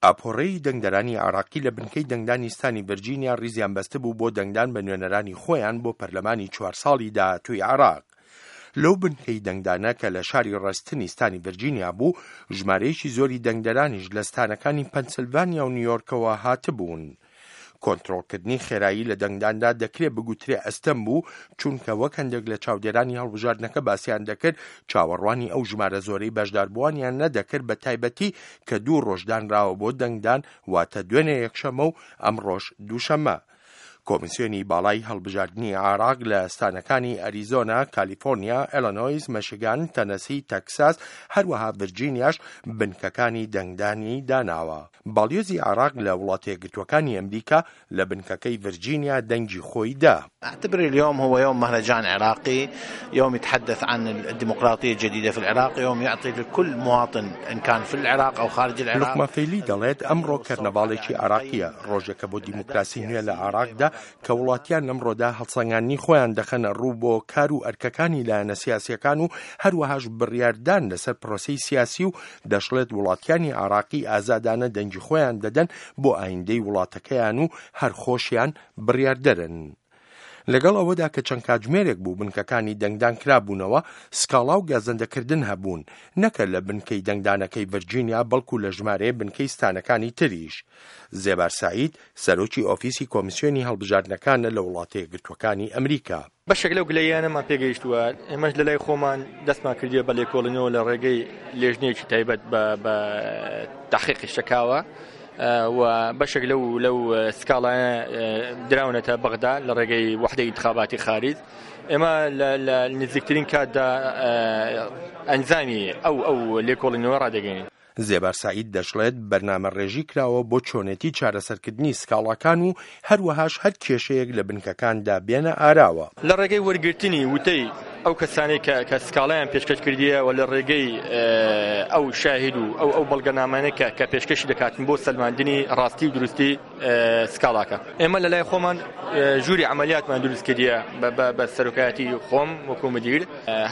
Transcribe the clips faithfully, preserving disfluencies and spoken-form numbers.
ئاپۆرەی دەنگدەرانی عێراقی لە بنکەی دەنگدانی ستانی ڤرجینیا ڕیزیان بەستبوو بۆ دەنگدان بە نوێنەرانی خۆیان بۆ پەرلەمانی چوار ساڵی داهاتووی عێراق. لەو بنکەی دەنگدانە کە لە شاری ڕەستنی ستانی ڤرجینیا بوو، ژمارەیەکی زۆری دەنگدەرانیش لە ستانەکانی پەنسلڤانیا و نیویۆرکەوە هاتبوون. کۆنترۆڵکردنی خێرایی لە دەنگداندا دەکرێت بگوترێ ئەستەم بوو، چونکە وەک هەندێک لە چاودێرانی هەڵبژاردنەکە باسیان دەکرد، چاوەڕوانی ئەو ژمارە زۆرەی بەشداربووانیان نەدەکرد، بە تایبەتی کە دوو ڕۆژ دانراوە بۆ دەنگدان، واتە دوێنێ یەکشەممە و ئەمڕۆش دووشەممە. کۆمیسیۆنی باڵای هەڵبژاردنی عێراق لە ستانەکانی ئەریزۆنا، کالیفۆرنیا، ئێلینۆیس، مەشیگان، تەنەسی، تەکساس، هەروەها ڤرجینیاش بنکەکانی دەنگدانی داناوە. باڵیۆزی عێراق لە وڵاتە یەکگرتووەکانی ئەمریکا لە بنکەکەی ڤرجینیا دەنگی خۆی دا. أعتبر اليوم هو يوم مهرجان عراقي، يوم يتحدث عن الديمقراطية الجديدة في العراق، يوم يعطي لكل مواطن إن كان في العراق أو خارج العراق. لوقمان فەیلی دەڵێت ئەمڕۆ کەرنەڤاڵێکی عێراقییە، ڕۆژێکە بۆ دیموکراسی نوێ لە عێراقدا کە وڵاتیان لەمڕۆدا هەڵسەنگاندنی خۆیان دەخەنە ڕوو بۆ کار و ئەرکەکانی لایەنە سیاسیەکان و هەروەهاش بڕیاردان لەسەر پرۆسەی سیاسی و دەشڵێت وڵاتیانی عێراقی ئازادانە دەنگی خۆیان دەدەن بۆ ئایندەی وڵاتەکەیان و هەر خۆشیان بڕیاردەرن. لەگەڵ ئەوەدا کە چەند کاتژمێرێک بوو بنکەکانی دەنگدان کرابوونەوە، سکاڵا و گازەندەکردن هەبوون، نەکە لە بنکەی دەنگدانەکەی ڤرجینیا بەڵکو لە ژمارەیە بنکەی ستانەکانی تریش. زێبار سعید سەرۆکی ئۆفیسی کۆمیسیۆنی هەڵبژاردنەکانە لە وڵاتە یەکگرتووەکانی ئەمریکا. بەشێک لەو گلەییانەمان پێگەیشتووە، ئێمەش لە لای خۆمان دەستمان کردیە بە لێکۆڵینەوە لە ڕێگەی لێژنەیەکی تایبەت بە تحقیقی شەکاوە و بەشێک لەو لەو سکاڵایە دراونەتە بەغدا لە ڕێگەی وحدەی ئینتخاباتی خارج. ئێمە لە نزیکترین کاتدا ئەنجامی ئەو ئەو لێکۆڵینەوە ڕادەگەین. زێبار سعید دەشڵێت بەرنامە ڕێژی کراوە بۆ چۆنێتی چارەسەرکردنی سکاڵاکان و هەروەهاش هەر کێشەیەک لە بنکەکاندا بێنە ئاراوە. لە ڕێگەی وەرگرتنی وتەی ئەو کەسانەی کە کە سکاڵایان پێشکەش کردیە و لە ڕێگەی ئەو شاهید و ئەو ئەو بەڵگەنامانەی کە کە پێشکەشی دەکاتن بۆ سەلماندنی ڕاستی و دروستی سکاڵاکە. ئێمە لە لای خۆمان ژووری عملیاتمان دروست کردیە بە سەرۆکایەتی خۆم وەکو مدیر،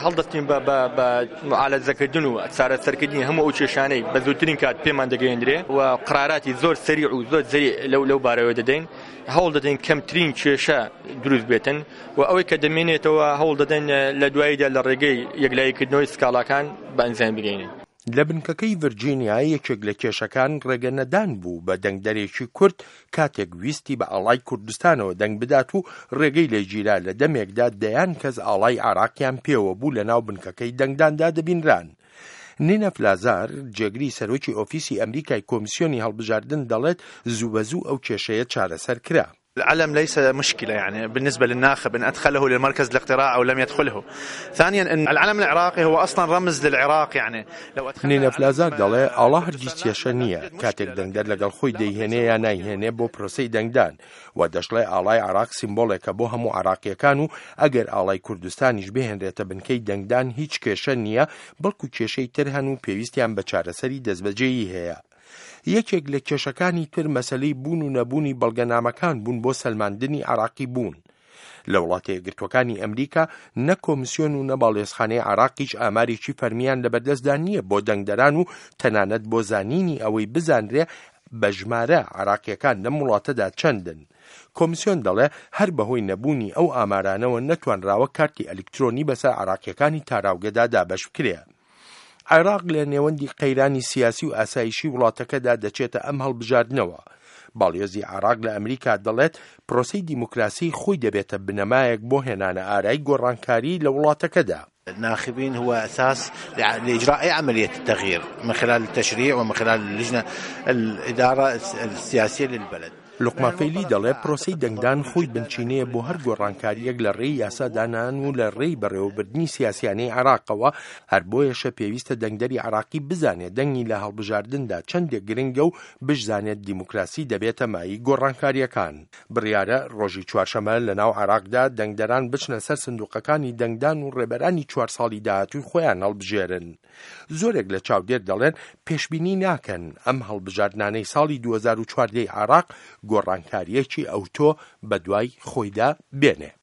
هەڵدەستین بە بە معالەجەکردن و چارەسەرکردنی هەموو ئەو کێشانەی بە زووترین کات پێمان دەگەیەندرێ و قراراتی زۆر سەریع و زۆر زەریع لەو لەو بارەوە دەدەین. هەوڵ دەدەین کەمترین کێشە دروست بێتن و ئەوەی کە دەمێنێتەوە هەوڵ دەدەین لە دواییدا لە ڕێگەی یەکلاییکردنەوەی سکاڵاکان بە ئەنجام بگەینین. لە بنکەکەی ڤرجینیا یەکێک لە کێشەکان ڕێگە نەدان بوو بە دەنگدەرێکی کورد کاتێک ویستی بە ئاڵای کوردستانەوە دەنگ بدات و ڕێگەی لێگیرا لە دەمێکدا دەیان کەس ئاڵای عێراقیان پێوە بوو لە ناو بنکەکەی دەنگداندا دەبینران. نینە فلازار جێگری سەرۆکی ئۆفیسی ئەمریکای کۆمیسیۆنی هەڵبژاردن دەڵێت زوو بە زوو ئەو کێشەیە چارەسەر کرا. العلم ليس مشكلة يعني بالنسبة للناخب إن أدخله للمركز الاقتراع أو لم يدخله. ثانيا أن العلم العراقي هو أصلا رمز للعراق، يعني لو أدخلنا نینە فلازار دەڵێ ئاڵا هەرگیز کێشە نییە کاتێک دەنگدەر لەگەڵ خۆی دەیهێنێ یا نایهێنێ بۆ پرۆسەی دەنگدان و دەشڵێ ئاڵای عێراق سیمبۆلێکە بۆ هەموو عێراقیەکان و ئەگەر ئاڵای کوردستانیش بهێنرێتە بنکەی دەنگدان هیچ کێشە نییە، بەڵکو کێشەی تر هەن و پێویستیان بە چارەسەری دەستبەجێیی هەیە. یەکێک لە کێشەکانی تر مەسلەی بوون و نەبوونی بەڵگەنامەکان بوون بۆ سەلماندنی عێراقی بوون. لە وڵاتە یەکگرتووەکانی ئەمریکا نە کۆمیسیۆن و نە باڵیۆزخانەی عێراقیش ئامارێکی فەرمیان لەبەردەستدا نییە بۆ دەنگدەران و تەنانەت بۆ زانینی ئەوەی بزانرێ بە ژمارە عێراقیەکان لەم وڵاتەدا چەندن. کۆمیسیۆن دەڵێ هەر بەهۆی نەبوونی ئەو ئامارانەوە نەتوانراوە کارتی ئەلکترۆنی بەسەر عێراقیەکانی تاراوگەدا دابەش بکرێ. عێراق لە نێوەندی قەیرانی سیاسی و ئاسایشی وڵاتەکەدا دەچێتە ئەم هەڵبژاردنەوە. باڵیۆزی عێراق لە ئەمریکا دەڵێت پرۆسەی دیموکراسی خۆی دەبێتە بنەمایەک بۆ هێنانە ئارای گۆڕانکاری لە وڵاتەکەدا. الناخبين هو أساس لإجراء أي عملية التغيير من خلال التشريع ومن خلال اللجنة الإدارة السياسية للبلد. لوقمان فەیلی دەڵێ پرۆسەی دەنگدان خۆی بنچینەیە بۆ هەر گۆڕانکاریەک لە ڕێی یاسادانان و لە ڕێی بەڕێوەبردنی سیاسیانەی عێراقەوە، هەر بۆیەشە پێویستە دەنگدەری عێراقی بزانێت دەنگی لە هەڵبژاردندا چەندێک گرنگە و بشزانێت دیموکراسی دەبێتە مایەی گۆڕانکاریەکان. بڕیارە ڕۆژی چوارشەممە لە ناو عێراقدا دەنگدەران بچنە سەر سندوقەکانی دەنگدان و ڕێبەرانی چوار ساڵی داهاتووی خۆیان هەڵبژێرن. زۆرێک لە چاودێر دەڵێن پێشبینی ناکەن ئەم هەڵبژاردنانەی ساڵی دوو هەزار و چواردە عێراق گۆڕانکاریەکی ئەوتۆ بەدوای خۆیدا بێنێ.